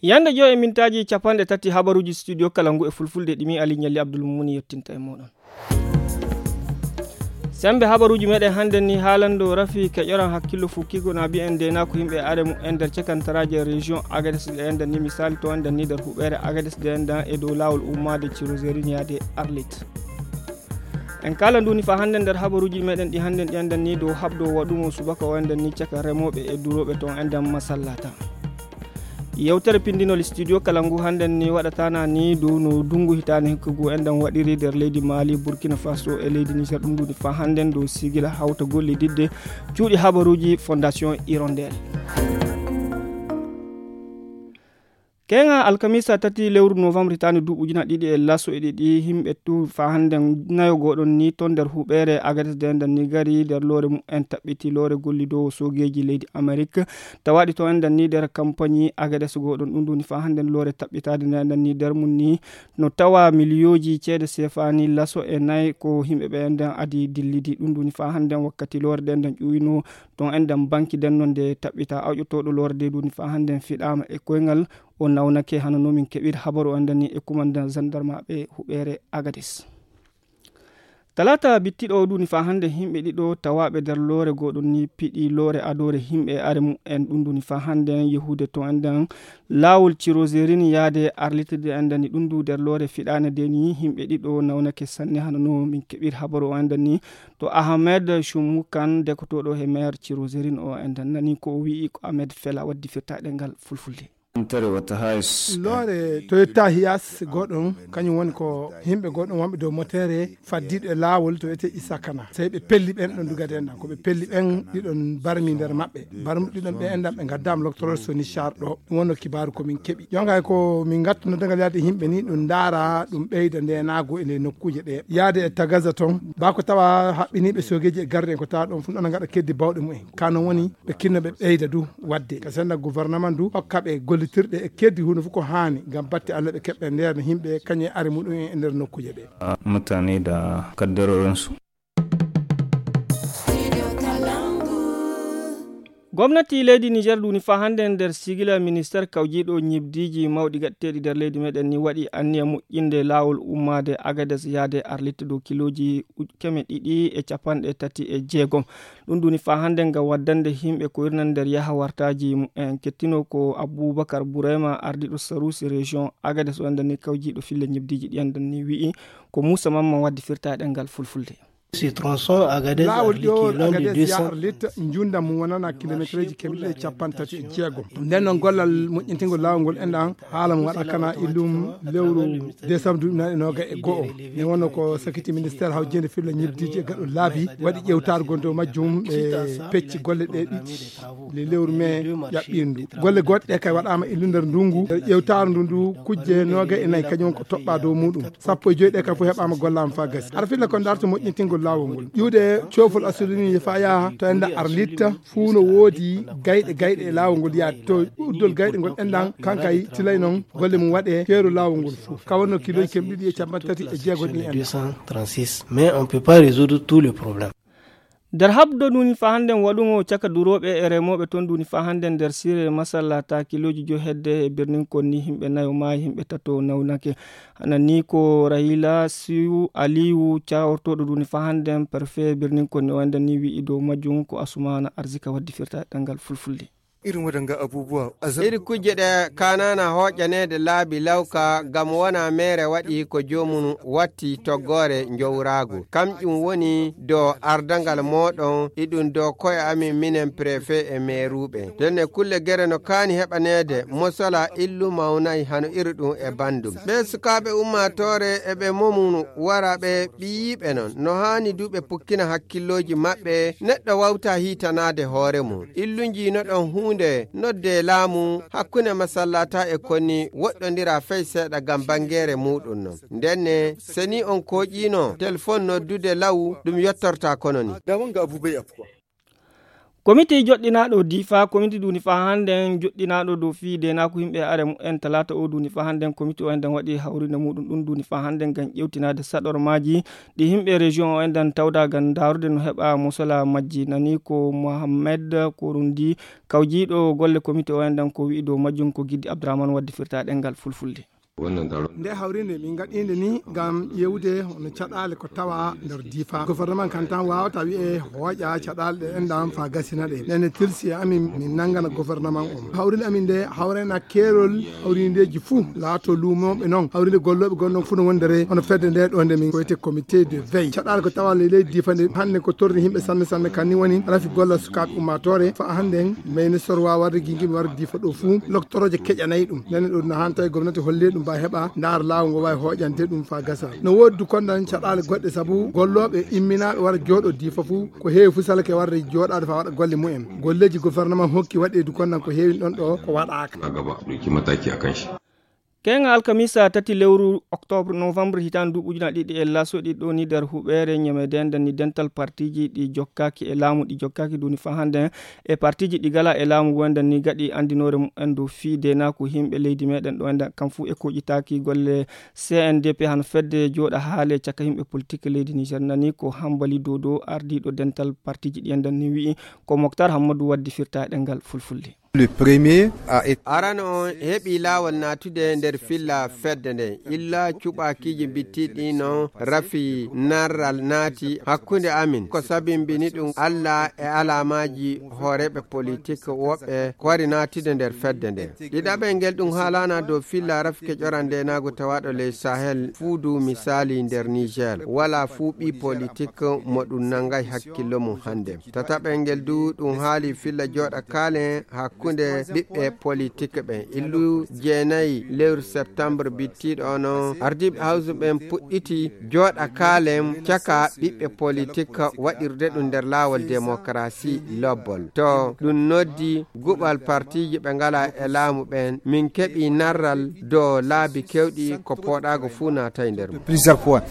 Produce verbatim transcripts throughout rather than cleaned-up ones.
Yande joy e mintaaji capanɗe tati habaruuji studio kala ngu e fulfulde ɗimi Ali Ñalli Abdul Mumuni yettinta e mooɗon. Sembe habaruuji meɗen hannden ni haalando rafi keƴoran hakkillo fukkigo na mbiyen ndena ko yimɓe are mu en nder cakantaraaji e région Agadez ɗe enɗan ni misali to enɗan ni nder huɓeere Agadez ɗe enɗan e dow laawol ummaade Cirozerin yaade Arlit. En kala nduni fa hannden nder habaruuji meɗen ɗi hannden ɗi enɗan ni dow haɓdo waɗumo subaka o enɗan ni caka remooɓe e durooɓe to enɗan masallata. Yewtere pindinol studio kala ngu hannden ni waɗatana ni dow no dungu hitaani hikkugu enɗan waɗiri nder leydi Mali, Burkina Faso e leydi Niger. Ɗum ɗuni fa hannden dow sigila hawta gollididde cuuɗi habaruuji Fondation Hirondelle. Keŋa alkamisa tati lewru novembre hitaani duuɓi ujuna ɗiɗi e laso e ɗiɗi, himɓe tu fa hannden nayo goɗon ni ton nder huɓeere Agadez de enɗan ni gari nder loore mumen taɓɓiti loore gollidoowo soogeeji leydi Amerik. Tawaɗi to enɗan ni nder kampani Agadez goɗon ɗum ɗuni fa hannden loore taɓɓitaade nde enɗan ni nder mum ni no tawa miliyooji ceede sefaani laso e nayi ko himɓe ɓe enɗan adi dillidi. Ɗum ɗuni fa hannden wakkati loore ɗe enɗan ƴuwino ton enɗan banki denno nde taɓɓita awƴotooɗo loore de ɗum fa hannden fiɗaama e koyngal o nawnake hano no min keɓir habaru o enɗan ni e kumandan zandarmaɓe huɓeere Agadez. Talata bittiɗo o ɗuni fa hannde himɓe ɗiɗo tawaɓe nder loore goɗon ni piɗi loore adoore himɓe are mumen ɗum ɗuni fa hannde yehude to enɗan laawol Cirozerin yaade Arlit de enɗan ni ɗum du nder loore fiɗaane de ni himɓe ɗiɗo nawnake sanne hano no min keɓir habaru o enɗan ni to Ahmed Shumukan dekotoɗo he maire Cirozerin o enɗan nani ko o wi'i ko Ahmed Fela waddi firtaɗe ngal fulfulde. Loore Toyota Hiace goɗɗum kañum woni ko yimɓe goɗɗum wonɓe dow motere faddiɗo e laawol to wiyetee Isakana. Tawi ɓe pelli ɓen ɗon dugade enɗan ko ɓe pelli ɓen ɗiɗon barmi nder maɓɓe. Barmi ɗiɗon ɓe enɗan ɓe ngaddaama loktorol Soni Char ɗo. Ɗum wonno kibaaru ko min keɓi. Jonka ko min ngattuno dangal yaade yimɓe ni ɗum ndaara ɗum ɓeyda ndenaagu e nde nokkuuje ɗe. Yaade e Tagaza ton baa ko tawa haɓɓiniiɓe soogeeji e garde en ko tawa ɗon fuu ana ngaɗa keddi bawɗe mumen. Ka non woni ɓe kinno ɓe ɓeyda du waɗde ka senda gouvernement du hokka ɓe gollitirɗe e keddi huunde fof ko haani ngam batte Allah ɓe keɓɓe nder no yimɓe kañum e are muɗum en e nder nokkuuje ɗe. Mutane da kaddarorinsu. Gomnati leydi Niger duni fa hannde nder sigila minister kawjiiɗo ñibdiiji mawɗi gaɗteeɗi nder leydi meɗen ni waɗi anniya moƴƴinde laawol ummaade Agades yaade Arlit dow kilooji uj- keme ɗiɗi e capanɗe tati e jeegom. Ɗum ɗuni fa hannde ngam waddande yimɓe ko irnan nder yaha wartaaji mumen. Kettino ko Abubakar Burema, ardiiɗo Sarusi région Agadez, o enɗan ni kawjiiɗo fille ñebdiiji ɗi enɗan ni wi'i ko Moussa Mamman waddi firtaɗe ngal fulfulde. Laawol ɗo Agadez ya Arlit, njundam mum wonana kilomeetreeji keme ɗiɗi e capanɗe tati e jeegom. Nden noon gollal moƴƴintingol laawol ngol enɗan haala mo waɗa kana illum lewru décembre duuɓi nayi e noga e go'o. Ne wonno ko sakiti ministère hawjende filla ñebdiiji e gaɗol laabi waɗi ƴewtaare gon dow majjum ɓe pecci golle ɗe ɗiɗi le lewru mai ƴaɓɓiindu. Golle goɗɗe ɗe kay waɗaama illu nder ndungu nder ƴewtaare ndu ndu kujje noga e nayi kañum ko toɓɓa dow muɗum. Sappo e joyi ɗe kay fof heɓaama gollaama fa gasi. Hara filla ko darto moƴƴintingol laawol ngol. Ƴuwde coofol asulini fa yaha to enda Arlit fuu no woodi gayɗe gayɗe e laawol ngol yaade to uddol gayɗe ngol enɗan kankay tilay noon golle mum waɗe feeru laawol ngol fuu ka wonno kiloji keme ɗiɗi e capanɗe tati e jeego ɗi enɗan. Mais on peut pas résoudre tous les problèmes. Nder habdo ɗum fa hannde waɗugo caka durooɓe e remooɓe ton ɗum fa hannde nder sire masalla ta kiloji jo hedde e birnin konni yimɓe nayo maayi yimɓe tato nawnake. Hana ni ko Rahila Siyu Aliyu cawortoɗo ɗum fa hannde perfe birnin konni o enɗan ni wi'i dow majjum ko Asumana Arzika waddi firta ɗangal fulfulde. Irin waɗanga abubuwa a zar- Iri kujje ɗe kanana hoƴaneede laabi lawka ngam wona meere waɗi ko joomum watti toggoore njowraagu. Kamƴum woni do ardangal mooɗon iɗum do koye amin minen préfet e meeruuɓe. Ndenne kulle gere no kaani heɓaneede mosala illu mawnay hano iri ɗum e banndum. Ɓee sukaaɓe ummaatoore e ɓe momum wara ɓe ɓiyiiɓe non. No haani du ɓe pukkina hakkillooji maɓɓe neɗɗo wawta hiitanaade hoore mum. Illunji no ɗon huunde nodde laamu hakkunde masallata e konni woɗɗondira fey seeɗa ngam banngeere muuɗum non. Ndenne, so ni on kooƴiino telefon noddude law, ɗum yottorta kono ni. Da wanga abu bai afkuwa. Komiti joɗɗinaaɗo difa, komiti duuni faa hannden joɗɗinaaɗo dow fii deenaaku yimɓe are mumen talaata o duuni faa hannden, komiti o enɗan waɗi hawrinde muuɗum ɗum duuni faa hannden ngam ƴewtinaade saɗormaaji ɗi yimɓe rejiyon o enɗan tawda ngam ndaarude no heɓa mosola majji. Nani ko Mohammed Korundi, kawjiiɗo golle komiti o enɗan, ko wi'i dow majjum, ko Giddi Abdurahman waddi firta ɗemngal fulfulde. Nde hawrinde min ngaɗiinde ni ngam ƴeewde hono caɗaale ko tawa nder difa. Gouvernement kan tan waawata wi'e hooƴa caɗaale ɗe enɗan faa gasina ɗe. Nene tilsi e amin min nanngana gouvernement on. Hawrinde amin nde hawrena keerol hawrindeeji fuu laato luumooɓe non. Hawrinde gollooɓe gonɗon fuu no wondere hono fedde nde ɗo nde min koyte comité de veille. Caɗaale ko tawa ley leydi difa nde hannde ko torri yimɓe sanne sanne, kan ni woni rafi golla sukaaɓe ummaatoore. Faa hannden ministre waawa warde gingimi warde difa ɗo fuu. Loktorooje keƴanay ɗum. Nene ɗo no hanta e gomnati holli ɗum ba heɓa ndaar laawol ngo waawi hooƴante ɗum faa gasa. No woodi du kondan caɗaale goɗɗe sabu gollooɓe imminaaɓe wara jooɗo difa fuu. Ko heewi fuu salake warde jooɗaade faa waɗa golle mumen. Golleeji gouvernement hokki waɗi du kondan ko heewi ɗon ɗo ko waɗaaka. Keŋŋa alkamisa tati lewru oktoobre, novembre, hitaande duuɓi ujunaaji ɗiɗi e laso ɗiɗi ɗo ni nder huɓeere ñamede nden ni dental partiiji ɗi jokkaaki e laamu, ɗi jokkaaki duuni faa hannden e partiiji ɗi gala e laamu wonde ni gaɗi anndinoore mumen dow fii deenaaku yimɓe leydi meɗen ɗo enɗan kam fuu e koƴitaaki golle C N D P hano fedde jooɗa haale caka yimɓe politik leydi Niger. Nani ko Hambali Dodo, ardiiɗo dental partiiji ɗi enɗan ni wi'i, ko Moktar Hammadu waddi firta ɗemngal fulfulde. Le premier a été Arano on heɓi laawol naatude nder filla fedde nden. Illa cuɓaakiiji bittiiɗi no rafi narral naati hakkunde amin. Ko sabimbini ɗum Alla e alaamaaji hooreeɓe politik woɓɓe ko wari naatude nder fedde nden. Ɗiɗaɓel ngel ɗum haalaana dow filla rafi keƴoran ndeenaagu tawaaɗo ley Sahel fuu du misaali nder Niger. Wala fuu ɓii politik mo ɗum nanngay hakkillo mum hannde. Tataɓel ngel du ɗum haali filla jooɗa kaalen hakkunde ɓiɓɓe politik ɓen. Illu jeenayi lewru septembre bittiiɗo ono, ardiiɓe hawsu ɓen puɗɗiti jooɗa kaalen caka ɓiɓɓe politik waɗirde ɗum nder laawol demokarasi lobbol. To ɗum noddi guɓal partiiji ɓe ngala e laamu ɓen, min keɓi narral dow laabi kewɗi ko pooɗaago fuu naatay nder mum. Plusieurs points.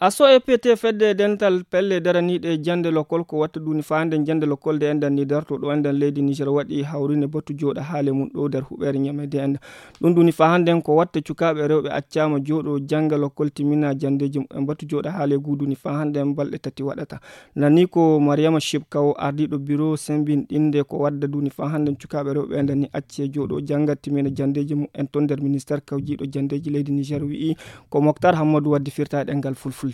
Aso E P T fedde dental pelle daraniiɗe jannde lokkol ko watta duuni faa hannden jannde lokkol de enɗan ni darto ɗo enɗan leydi Niger waɗi hawrinde batu jooɗa haale mum ɗo nder huɓeere ñamede enɗan. Ɗum duuni faa hannden ko watta cukaaɓe rewɓe accaama jooɗo jannga lokkol timmina janndeeji mumen. Batu jooɗa haale guu duuni faa hannden balɗe tati waɗata. Nani ko Mariama Shibkawo, ardiiɗo biro sembinɗinde ko wadda duuni faa hannden cukaaɓe rewɓe enɗan ni acce jooɗo jannga timmina janndeeji mumen ton nder ministeer kawjiiɗo janndeeji leydi Niger wi'i, ko Moktar Hammadu waddi firta ɗemngal fulfulde.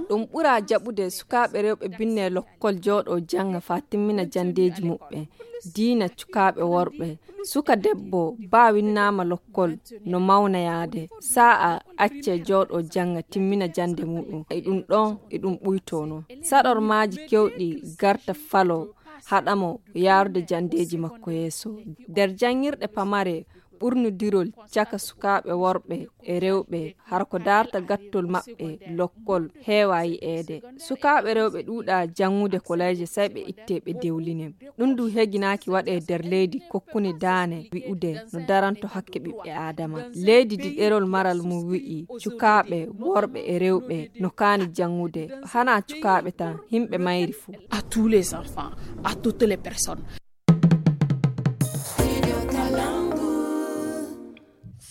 Ɗum ɓura jaɓude sukaaɓe rewɓe binne lokkol jooɗo jannga faa timmina janndeeji muɓɓen. Diina cukaaɓe worɓe. Suka debbo baa winnaama lokkol no mawna yaade. Sa'a acce jooɗo jannga timmina jannde muɗum. E ɗum ɗon e ɗum ɓuytono. Saɗormaaji kewɗi garta falo haɗa mo yaarude janndeeji makko yeeso. Nder janngirɗe pamare, ɓurnudirol caka sukaaɓe worɓe e rewɓe, hara ko daarta gattol maɓɓe lokkol heewaa yi'eede. Sukaaɓe rewɓe ɗuuɗaa janngude koleeje, sey ɓe ittee ɓe dewlinee. Ɗum du heginaaki waɗee nder leydi kokkuni daane wi'ude no daranto hakke ɓiɓɓe Aadama. Leydi di ɗerol maral mum wi'i, cukaaɓe, worɓe e rewɓe no kaani janngude. Hanaa cukaaɓe tan, yimɓe mayri fuu. À tous les enfants, à toutes les personnes.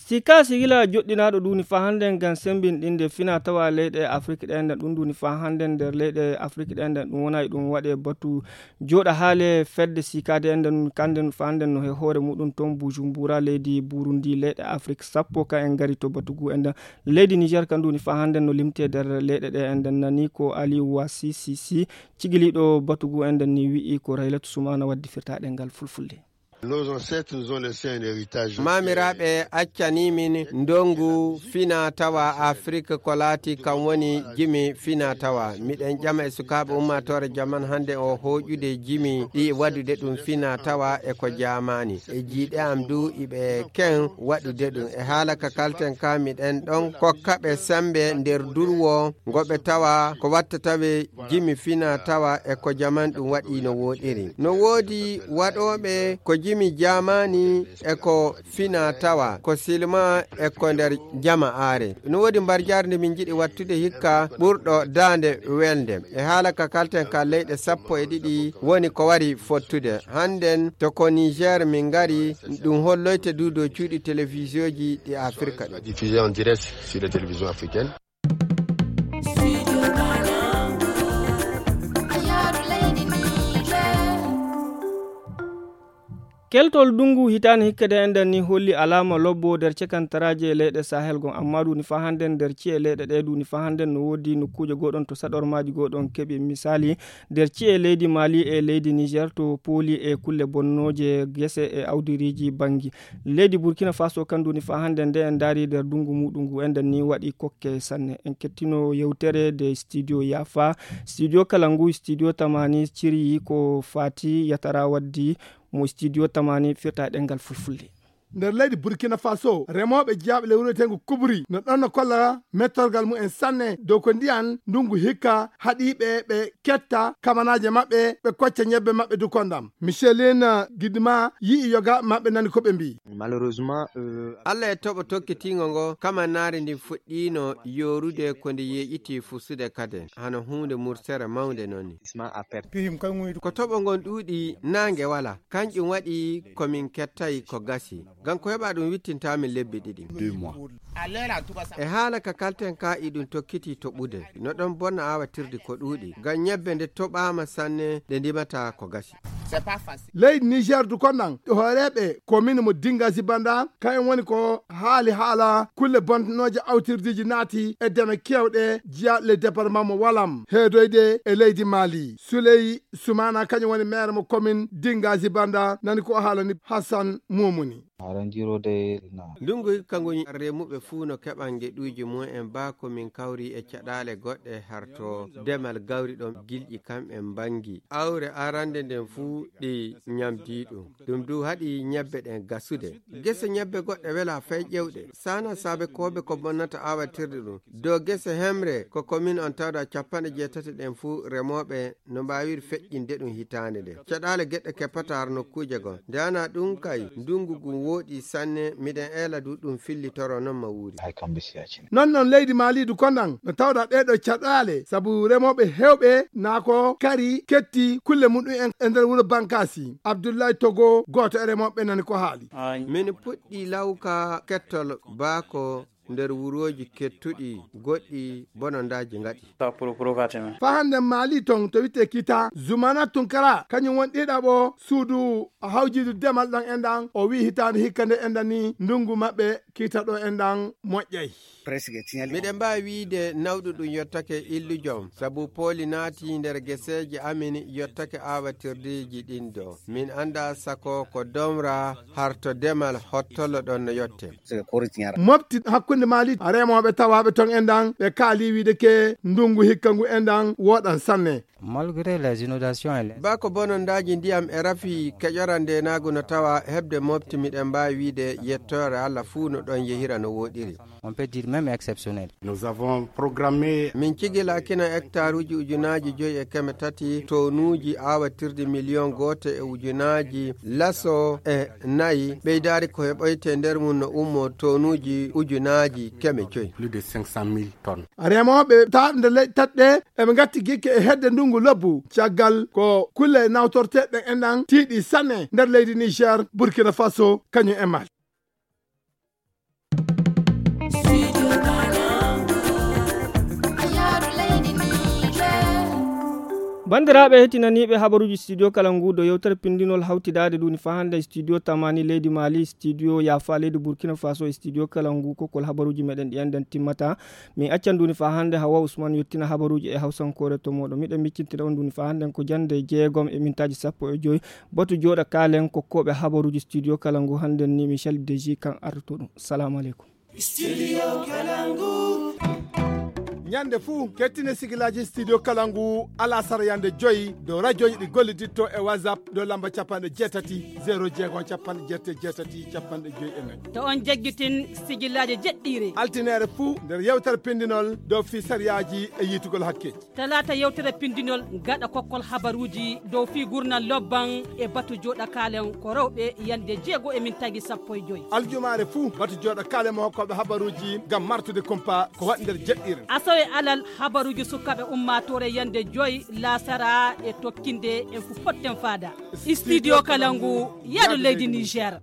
Sika sigila joɗɗinaaɗo duuni faa hannden ngam semmbinɗinde fina tawa leyɗe Afrik ɗe enɗan. Ɗum duuni faa hannden nder leyɗe Afrik ɗe enɗan ɗum wona e ɗum waɗe batu jooɗa haale fedde sikaade enɗan kanden faa hannden no he hoore muɗum ton Bujumbura leydi Burundi. Leyɗe Afrik sappo ka en ngari to batu gu enɗan. Leydi Niger kan duuni faa hannden no limte nder leyɗe ɗe enɗan. Nani ko Aliou Wassi Sisi, cigiliiɗo batu gu enɗan ni wi'i ko Raylatu Sumana waddi firta ɗemngal fulfulde. Nos ancêtres nous ont laissé un héritage. Maamiraaɓe accanii min ndongu fina tawa Afrik ko laati kan woni jimi fina tawa. Miɗen ƴama e sukaaɓe ummaatoore jaman hannde o hooƴude jimi ɗi waɗude ɗum fina tawa e ko jaamaani. E jiiɗe am du iɓe ken waɗude ɗum. E haala ka kalten ka miɗen ɗon kokka ɓe semmbe nder durwo ngo ɓe tawa ko watta tawe jimi fina tawa e ko jaman ɗum waɗi no wooɗiri. No woodi waɗooɓe ko Imi jaamaani e ko fina tawa, ko silma e ko nder jama'aare. No woodi mbarjaari nde min njiɗi wattude hikka ɓurɗo daande welde. E haala ka kalten ka leyɗe sappo e ɗiɗi woni ko wari fottude. Hannden to ko Niger min ngari, ɗum holloyte du dow cuuɗi telewisiyoji ɗi Afirka ɗi. Diffusé en direct sur les télévisions africaines. Keltol ndungu hitaande hikka de enɗan ni holli alaama lobbo nder cekantaraaji e leyɗe Sahel gon, amma duni faa hannden nder ci'e leyɗe ɗe duni faa hannden no woodi nokkuuje goɗon to saɗormaaji goɗon keɓi. Misali, nder ci'e leydi Mali e leydi Niger to pooli e kulle bonnooje gese e awdiriiji banngi. Leydi Burkina Faso kan duni faa hannden nde en ndaari nder ndungu muɗum ngu enɗan ni waɗi kokke sanne. En kettino yewtere de studio Yafa, studio kala ngu, studio tamani ciri ko fati yatara waddi mo studio tamani firta e ɗengal fulfulde. Nder leydi Burkina Faso, remooɓe jiyaaɓe lewru wiyetengu Kubri no ɗon no kolla mettorgal mumen sanne dow ko ndiyan ndungu hikka haɗi ɓe ɓe ketta kamanaaje maɓɓe, ɓe kocca ñebbe maɓɓe du kondam. Micheline Gidma yi'i yoga maɓɓe nani ko ɓe mbi'i. Malheureusement, euh, Allah e toɓo tokkitiingo ngo, kamanaare ndin fuɗɗiino yoorude ko nde yeeƴiti fusude kaden, hano huunde mursere mawnde non ni. Ko toɓo ngon ɗuuɗi, naange wala. Kanƴum waɗi ko min kettay ko gasi. Ngam ko heɓa ɗum wittintaa min lebbi ɗiɗi. E haala ka kalten ka iɗum tokkiti toɓude. No ɗon bonna aawatirdi ko ɗuuɗi. Ngam ñebbe nde toɓaama sanne, ɗe ndimata ko gasi. Leydi Niger du konnan, hooreeɓe komin mo Dinga Zibanda, kayen woni ko haali haala kulle bonnoje awtirdiiji naati e deme kewɗe jiya le département mo Walam, heedoyde e leydi Mali. Suley Sumana kañum woni maire mo commune Dinga Zibanda, nani ko haalani Hassan Momuni. Haranjirode na. Ndungu hikka ngu remuɓe fuu no keɓan geɗuuji mumen baa ko min kawri e caɗaale goɗɗe harto demal gawri ɗon gilƴi kamɓe mbangi. Awre arande nden fuu ɗi ñamdi ɗum. Ɗum du haɗi ñebbe ɗen gasude. Gese ñebbe goɗɗe wela fay ƴewɗe. Sana saabe koobe ko bonnata awatirde ɗum. Dow gese hemre ko commune on tawda capanɗe jeetati ɗen fuu remooɓe no mbaawiri feƴƴinde ɗum hitaande nde. Caɗaale geɗe keppata har nokkuuje goo. Nde ana ɗum kay, ndungu ngun wooɗi sanne, miɗen eela du ɗum fillitoro non ma wuuri. Hay kamɓe si yacine. Non non leydi Mali du konnan no tawda ɗee ɗoo caɗaale, sabu remooɓe heewɓe naa ko kari ketti kulle muɗum en e nder wuro Bankasi. Abdullahi Togo, gooto e remooɓe nani ko haali. Min puɗɗi lawka kettol baako nder wurooji kettuɗi goɗɗi bonondaaji ngaɗi. Fa hannde Mali ton to wi'etee Kita, Zumana Tunkara, kañum woni ɗiɗaɓo suudu hawjiidu demal ɗon enɗan. O wi'i hitaande hikka nde enɗan ni ndungu maɓɓe Kita ɗo enɗan moƴƴay. Miɗen mbaawi wi'ide nawɗum ɗum yottake illu jom, sabu pooli naati nder geseeji amin yottake aawatirdeeji ɗin ɗo. Min anndaa sako ko domra harto demal hottolo ɗon no yotte. Mofti hakkunde Mali remooɓe tawaaɓe ton enɗan, ɓe kaali wi'ide ke ndungu hikka ngu enɗan wooɗan sanne. Malgré les inondations et les Baa ko bonondaaji ndiyam e rafi keƴoran ndeenaagu no tawa heɓde mofti, miɗen mbaawi wi'ide yettoore Allah fuu no ɗon yehira no wooɗiri. On peut dire même exceptionnel. Nous avons programmé Min cigilakino hectaruuji ujunaaji joyi e keme tati, tonuuji aawatirdi miliyon gooto e ujunaaji laso e nayi, ɓeydaari ko heɓoyte nder mum no ummo tonuuji ujunaaji keme joyi. Plus de cinq cent mille tonnes. Remooɓe taaɓe nder leyɗe tati ɗe eɓe ngatti gikke e hedde ndungu lobbu, caggal ko kulle nawtorteeɗe enɗan tiiɗi sanne nder leydi Niger, Burkina Faso, kañum e Mali. Banndiraaɓe heɗtinaniiɓe habaruuji studio kala ngu, ɗo yewtere pinndinol hawtidaade ɗum ni faa hannde studio Tamani leydi Mali, studio Yafa leydi Burkina Faso e studio kala ngu, kokkol habaruuji meɗen ɗi enɗen timmata. Min accan ɗum ni faa hannde Hawa Usman yottina habaruuji e hawsankoore to mooɗon. Miɗen miccintina on ɗum ni faa hannde ko jannde jeegom e mintaaji sappo e joy. Batu jooɗa kaalen kokkooɓe habaruuji studio kala ngu hannden ni Michel Deji kan artoto ɗum. Salamu aleykum. Studio Kalangu. Ñande fuu, kettine sigilaaji Studio Kalangu alasara yande joyi dow rajooji ɗi golliditto e WhatsApp dow lamba capanɗe jeetati, zero jeego, capanɗe jeetati, jeetati, capanɗe joyi e nayi. To on jaggitin sigilaaji jeɗɗiire. Altineere fuu nder yewtere pindinol dow fii sariyaaji e yiitugol hakkeeji. Talaata yewtere pindinol gaɗa kokkol habaruuji dow fii gurnal lobban e batu jooɗa kaalen ko rewɓe yande jeego e min tagi sappo e joyi. Aljumaare fuu batu jooɗa kaalen mo hokkooɓe habaruuji ngam martude kumpa ko waɗi nder jeɗɗiire. Asawe alal habaruuji sukaaɓe ummaatoore yande joyi laasara e tokkinde en fu potten faada. Studio Kalangu, yaadu leydi Niger.